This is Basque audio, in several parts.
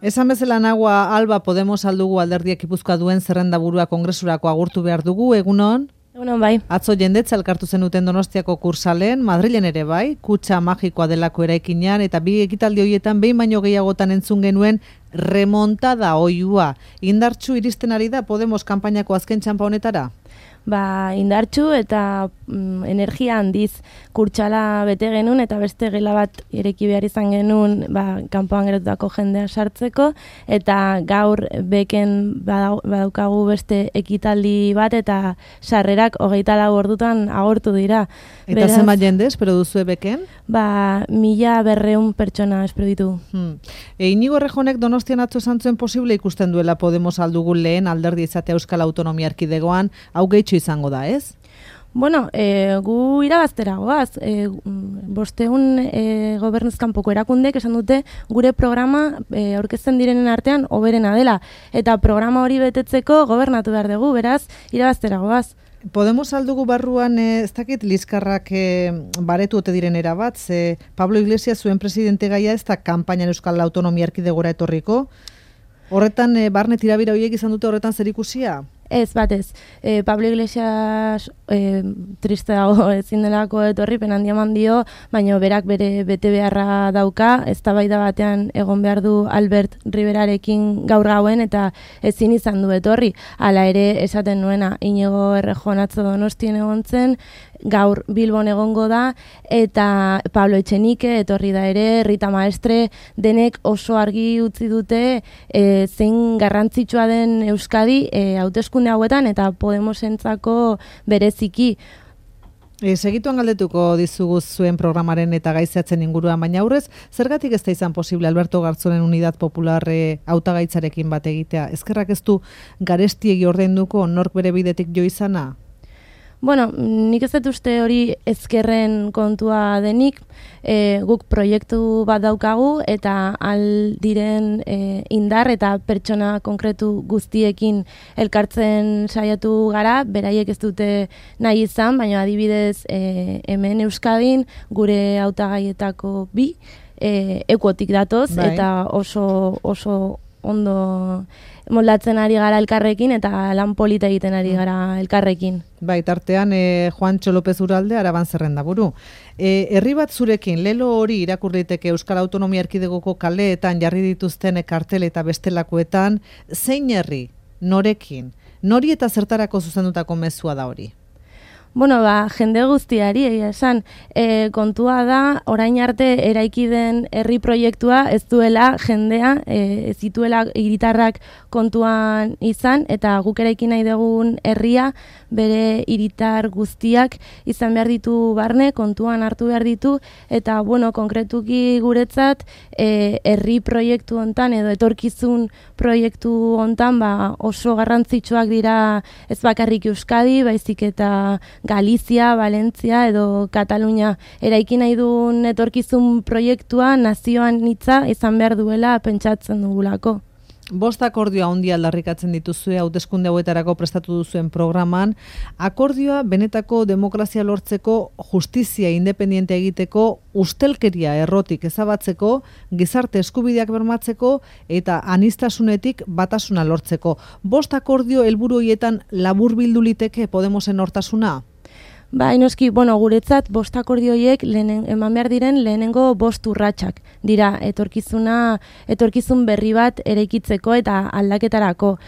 Esan bezala nagua Alba Podemos aldugu alderdiak Gipuzkoa duen zerrendaburua kongresurako agurtu behar dugu, egunon? Egunon bai. Atzo jendetza elkartu zenuten Donostiako kursalen, Madrilen ere bai, kutxa magikoa delako eraikinean, eta bi ekitaldi horietan behin baino gehiagotan entzun genuen remontada oihua. Indartsu iristen ari da Podemos kanpainako azken txanpa honetara? Indartsu eta energia handiz kurtsala bete genuen eta beste gela bat ireki behar izan genuen kanpoan gerotutako jendea sartzeko, eta gaur beken badaukagu beste ekitaldi bat eta sarrerak 24 ordutan agortu dira. Eta zenbat jende espero duzue beken? 1200 pertsona espero ditu. Inigo Errejonek Donostian atzo esan zuen posible ikusten duela Podemos aldugu lehen alderdi izatea Euskal Autonomia Erkidegoan, hau gehitxo izango da, ez? Bueno, gu irabaztera goaz. 500 gobernuzkanpoko erakundek esan dute gure programa aurkezten direnen artean hoberena dela. Eta programa hori betetzeko gobernatu behar dugu, beraz, irabaztera goaz. Podemos aldugu barruan, ez dakit, liskarrak baretu ote diren erabat, Pablo Iglesias zuen presidente gaia ez da kanpainan Euskal Autonomia Erkidegora etorriko. Horretan, barne tirabira horiek izan dute horretan zer ikusia? Ez, batez. Pablo Iglesias triste dago ezin delako etorri, penandia eman dio, baina berak bere bete beharra dauka, eztabaida batean egon behar du Albert Riverarekin gaur gauen eta ezin izan du etorri. Hala ere esaten nuena, Inigo Errejon atzo Donostien egon zen, gaur Bilbon egongo da, eta Pablo Etxenike etorri da ere, Rita Maestre, denek oso argi utzi dute zein garrantzitsua den Euskadi hauteskunde hauetan eta Podemosentzako bereziki. Segituan galdetuko dizugu zuen programaren eta gaizatzen inguruan, baina aurrez, zergatik ez da izan posible Alberto Garzonen Unidad Popular hautagaitzarekin bat egitea? Ezkerrak ez du garestiegi ordainduko nork bere bidetik jo izana? Bueno, nik ez dut uste hori ezkerren kontua denik, guk proiektu bat daukagu eta aldiren indar eta pertsona konkretu guztiekin elkartzen saiatu gara, beraiek ez dute nahi izan, baina adibidez hemen Euskadin gure hautagaietako 2 ekuotik datoz, bai. Eta oso ondo moldatzen ari gara elkarrekin eta lan polita egiten ari gara elkarrekin. Bai, tartean Juancho López Uralde Araban zerrendaburu. Herri bat zurekin, lelo hori irakurriteke Euskal Autonomia Erkidegoko kaleetan jarri dituzten kartel eta bestelakoetan, zein herri, norekin, nori eta zertarako zuzendutako mezua da hori? Bueno, jende guztiari, egia esan, kontua da, orain arte eraiki den herri proiektua ez duela jendea, ez dituela hiritarrak kontuan izan, eta guk eraiki nahi dugun herria bere hiritar guztiak izan behar ditu barne, kontuan hartu behar ditu, eta, bueno, konkretuki guretzat, herri proiektu hontan edo etorkizun proiektu hontan oso garrantzitsuak dira ez bakarrik Euskadi, baizik eta Galizia, Valentzia edo Katalunia. Eraiki nahi duen etorkizun proiektua nazioan hitza izan behar duela pentsatzen dugulako. 5 akordioa handia aldarrikatzen dituzue hauteskunde hauetarako prestatu duzuen programan. Akordioa benetako demokrazia lortzeko, justizia independiente egiteko, ustelkeria errotik ezabatzeko, gizarte eskubideak bermatzeko eta aniztasunetik batasuna lortzeko. 5 akordio helburu horietan laburbildu liteke Podemosen hortasuna? Noski, guretzat 5 akordio horiek eman behar diren lehenengo 5 urratsak dira etorkizun berri bat eraikitzeko eta aldaketarako.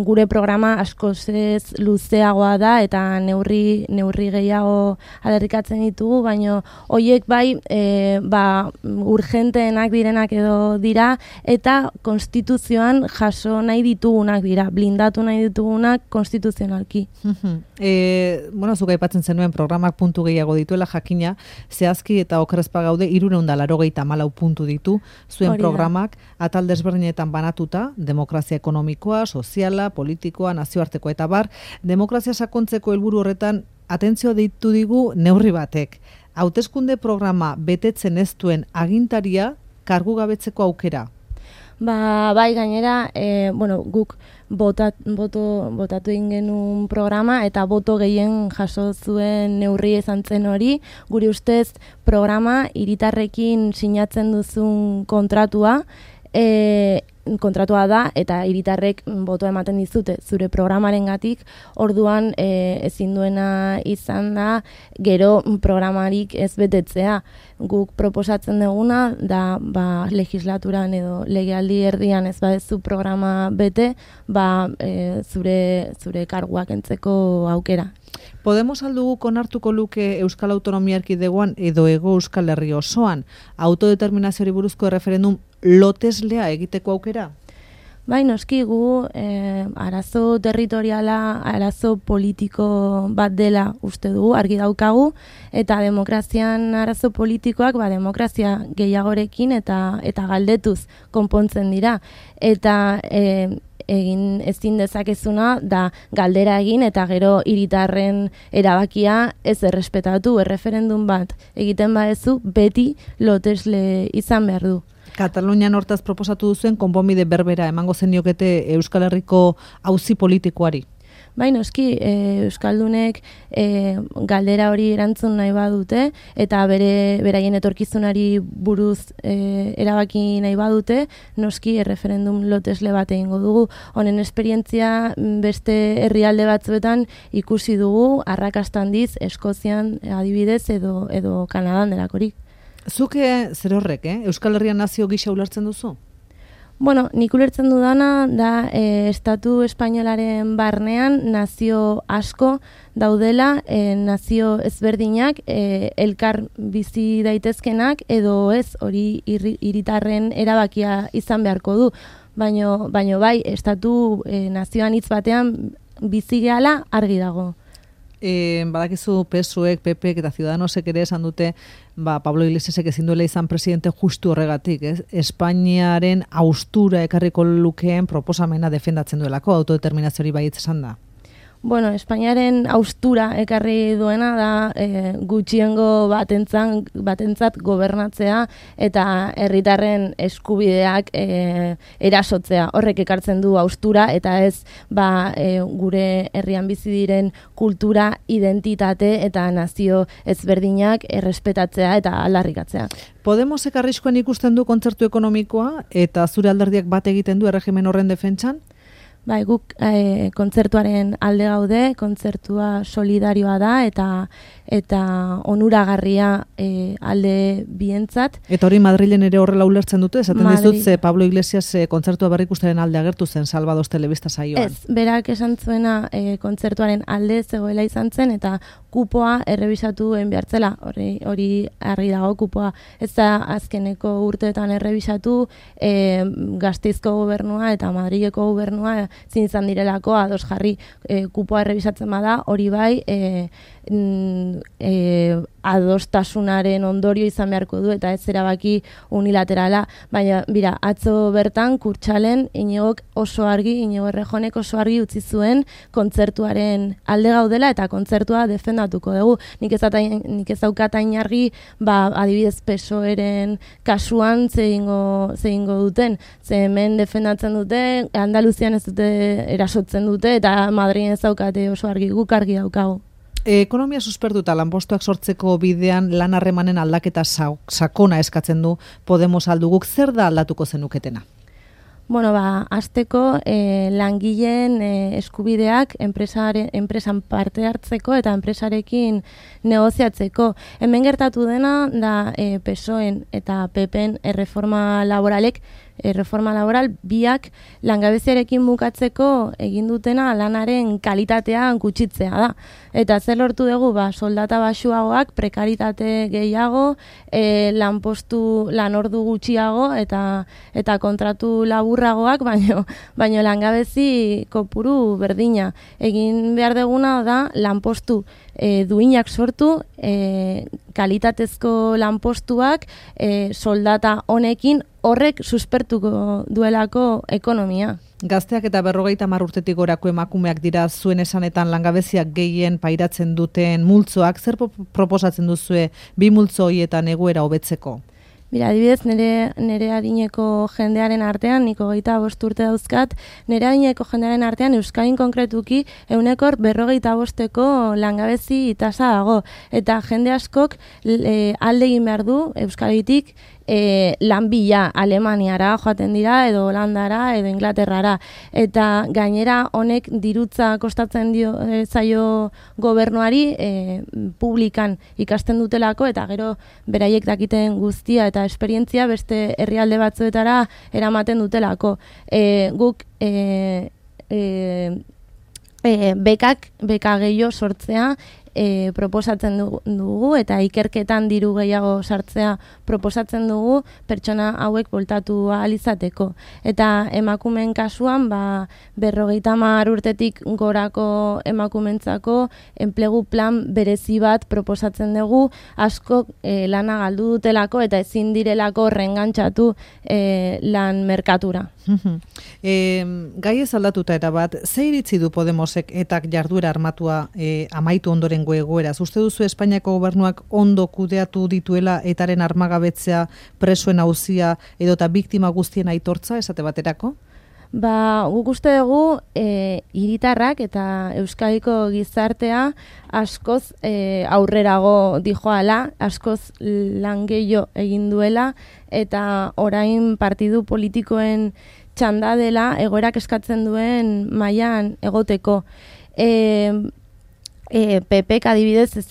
Gure programa askoz ez luzeagoa da eta neurri gehiago aldarrikatzen ditugu, baina horiek urgenteenak direnak edo dira eta konstituzioan jaso nahi ditugunak dira, blindatu nahi ditugunak konstituzionalki. Zuk aipatzen zenuen programak puntu gehiago dituela jakina, zehazki eta okerrezpa gaude 384 puntu ditu zuen programak, atal desberdinetan banatuta, demokrazia ekonomikoa, soziala, politikoa, nazioartekoa eta bar, demokrazia sakontzeko helburu horretan atentzioa deitu digu neurri batek. Hauteskunde programa betetzen ez duen agintaria kargugabetzeko aukera. Bai, gainera, guk botatu egin genuen programa eta boto gehien jaso zuen neurri izan zen hori. Guri ustez programa hiritarrekin sinatzen duzun kontratua kontratua da eta hiritarrek botoa ematen dizute zure programarengatik, orduan ezin duena izan da gero programarik ez betetzea. Guk proposatzen duguna da legislaturan edo legealdi erdian ez badezu programa bete, zure karguak entzeko aukera. Podemos alduguk onartuko luke Euskal Autonomia Erkidegoan edo Hego Euskal Herri osoan autodeterminazioari buruzko referendum loteslea egiteko aukera? Bai, noski gu arazo territoriala, arazo politiko bat dela uste dugu, argi daukagu, eta demokrazian arazo politikoak demokrazia gehiagorekin eta galdetuz konpontzen dira. Eta egin ezin dezakezuna da galdera egin eta gero hiritarren erabakia ez errespetatu, erreferendum bat egiten badezu beti lotesle izan behar du. Katalunian hortaz proposatu duzuen konponbide berbera emango zeniokete Euskal Herriko auzi politikoari? Bai, noski, Euskaldunek galdera hori erantzun nahi badute eta beraien etorkizunari buruz erabaki nahi badute, noski referendum lotesle bat egingo dugu. Honen esperientzia beste herrialde batzuetan ikusi dugu, arrakasta handiz, Eskozian adibidez edo Kanadan delakorik. Zuke zer horrek, Euskal Herrian nazio gisa ulertzen duzu? Bueno, nik ulertzen dudana da Estatu Espainolaren barnean nazio asko daudela, nazio ezberdinak, elkar bizi daitezkenak edo ez hori hiritarren erabakia izan beharko du. Baino bai, Estatu nazioan hitz batean bizi gehala argi dago. Badakizu PSUek, PPek eta Ciudadanosek ere esan dute Pablo Iglesiasek ezin duela izan presidente justu horregatik, Espainiaren haustura ekarriko lukeen proposamena defendatzen duelako, autodeterminazioari baietz esan da. Bueno, Espainiaren haustura ekarri duena da gutxiengo batentzat gobernatzea eta herritarren eskubideak erasotzea. Horrek ekartzen du haustura eta ez gure herrian bizi diren kultura, identitate eta nazio ezberdinak errespetatzea eta aldarrikatzea. Podemosek arriskuan ikusten du kontzertu ekonomikoa eta zure alderdiak bat egiten du erregimen horren defentsan? Bai, guk kontzertuaren alde gaude, kontzertua solidarioa da eta onuragarria alde bientzat. Eta hori Madrilen ere horrela ulertzen dute, esaten dizut Pablo Iglesias kontzertua berrikustaren alde agertu zen Salvados telebista saioan. Ez, berak esan zuena kontzertuaren alde zegoela izan zen eta kupoa errebisatu behartzela, hori argi dago kupoa. Ez da azkeneko urteetan errebisatu Gasteizko gobernua eta Madrileko gobernua zin izan direlako ados jarri kupoa errebisatzen bada, hori bai adostasunaren ondorio izan beharko du eta ez erabaki unilaterala, baina bira, atzo bertan Kurtxalen Iñigok oso argi, Iñigo Errejonek oso argi utzi zuen kontzertuaren alde gaudela eta kontzertua defendatuko dugu. Nik ez daukat hain argi, adibidez PSOEren kasuan zehingo duten, ze hemen defendatzen dute, Andaluzian ez dute erasotzen dute eta Madrilen ez daukate oso argi, guk argi daukagu. Ekonomia suspertuta lanpostuak sortzeko bidean lan harremanen aldaketa sakona eskatzen du Podemos alduguk, zer da aldatuko zenuketena? Bueno, hasteko langileen eskubideak enpresan parte hartzeko eta enpresarekin negoziatzeko. Hemen gertatu dena da PSOEn eta PPen erreforma laboral biak langabeziarekin bukatzeko egin dutena lanaren kalitatea gutxitzea da. Eta zer lortu dugu, soldata baxuagoak, prekaritate gehiago, lanordu gutxiago eta kontratu laburragoak, baino langabezi kopuru berdina. Egin behar duguna da lanpostu duinak sortu, kalitatezko lanpostuak, soldata honekin, horrek suspertuko duelako ekonomia. Gazteak eta 50 urtetik gorako emakumeak dira zuen esanetan langabeziak gehien pairatzen duten multzoak, zer proposatzen duzue bi multzo horietan egoera hobetzeko? Mira, adibidez, nire adineko jendearen artean, niko 25 urte dauzkat, nire adineko jendearen artean Euskadin konkretuki 45% langabezi tasa dago. Eta jende askok alde egin behar du Euskaditik lan bila Alemaniara joaten dira, edo Holandara, edo Inglaterrara. Eta gainera honek dirutza kostatzen zaio gobernuari publikan ikasten dutelako, eta gero beraiek dakiten guztia eta esperientzia beste herrialde batzuetara eramaten dutelako. Guk beka gehiago sortzea proposatzen dugu, eta ikerketan diru gehiago sartzea proposatzen dugu pertsona hauek bueltatu ahal izateko. Eta emakumeen kasuan, 50 urtetik gorako emakumentzako enplegu plan berezi bat proposatzen dugu, asko lana galdu dutelako eta ezin direlako reengantzatu lan merkatura. Gai ez aldatuta eta bat, ze iritzi du Podemosek etak jarduera armatua amaitu ondoren egoeraz? Uste duzu Espainiako gobernuak ondo kudeatu dituela etaren armagabetzea, presoen auzia edota biktima guztien aitortza esate baterako? Guk uste dugu hiritarrak eta Euskadiko gizartea askoz aurrerago dijoala, askoz lan gehiago egin duela, eta orain partidu politikoen txanda dela egoerak eskatzen duen mailan egoteko. PPk adibidez ez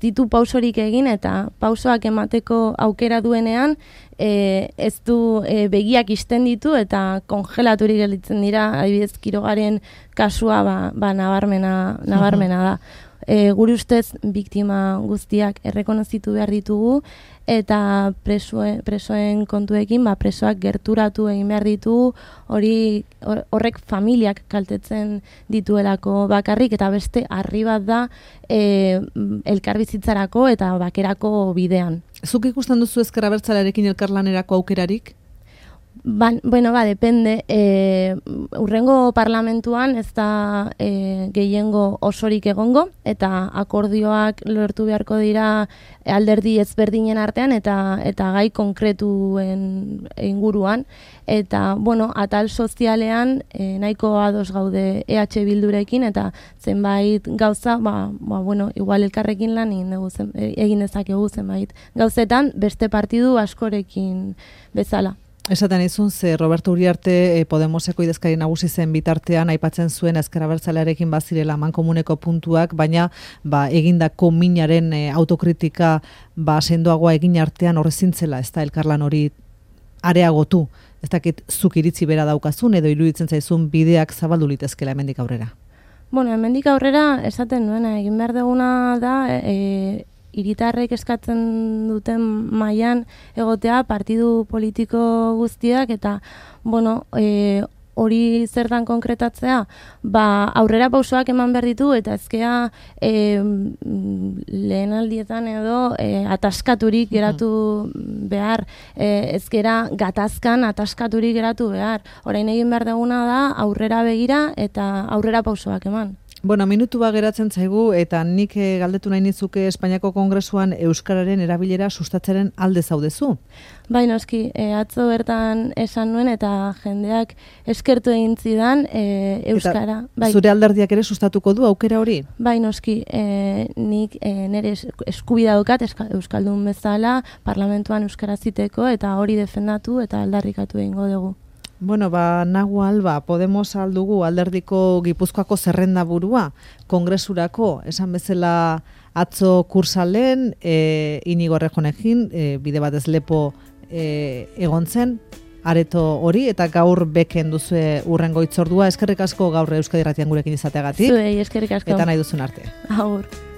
ditu pausorik egin, eta pausoak emateko aukera duenean ez du begiak isten ditu eta kongelaturik gelditzen dira. Adibidez Quirogaren kasua nabarmena da. Gure ustez biktima guztiak errekonozitu behar ditugu, eta presoen kontuekin presoak gerturatu egin behar ditugu, horrek familiak kaltetzen dituelako bakarrik, eta beste harri bat da elkarbizitzarako eta bakerako bidean. Zuk ikusten duzu ezker abertzalearekin elkarlanerako aukerarik? Depende. Urrengo parlamentuan ez da gehiengo osorik egongo, eta akordioak lortu beharko dira alderdi ezberdinen artean eta gai konkretuen inguruan. Eta, atal sozialean nahiko ados gaude EH Bildurekin, eta zenbait gauza, igual elkarrekin lan egin dezakegu zenbait gauzetan beste partidu askorekin bezala. Esaten izun, Roberto Uriarte Podemoseko idazkari nagusi zen bitartean aipatzen zuen ezker abertzalearekin bazirela mankomuneko puntuak, baina egindako minaren autokritika sendoagoa egin artean horrezintzela, ez da elkarlan hori areagotu. Ez dakit zuk iritzi bera daukazun edo iruditzen zaizun bideak zabaldu litezkela hemendik aurrera? Hemendik aurrera esaten duena egin behar duguna da hiritarrek eskatzen duten mailan egotea partidu politiko guztiak, eta hori zertan konkretatzea, aurrera pausoak eman behar ditu, eta ezkea lehenaldietan edo ataskaturik geratu behar, ezkera gatazkan ataskaturik geratu behar. Orain egin behar duguna da aurrera begira eta aurrera pausoak eman. Minutu geratzen zaigu, eta nik galdetu nahi nizuke Espainiako Kongresuan euskararen erabilera sustatzaren alde zaudezu? Noski, atzo bertan esan nuen, eta jendeak eskertu egin zidan euskara. Zure alderdiak ere sustatuko du aukera hori? Noski, nik nire eskubidea daukat euskaldun bezala parlamentuan euskara ziteko, eta hori defendatu eta aldarrikatu egingo dugu. Nahual, Podemos aldugu alderdiko Gipuzkoako zerrenda burua, Kongresurako, esan bezala atzo kursalen, Inigo Errejonekin, bide batez lepo egon zen, areto hori, eta gaur beken duzue urrengo hitzordua. Eskerrik asko gaur Euskadi Irratian gurekin izateagatik. Zuei, eskerrik asko. Eta nahi duzun arte. Agur.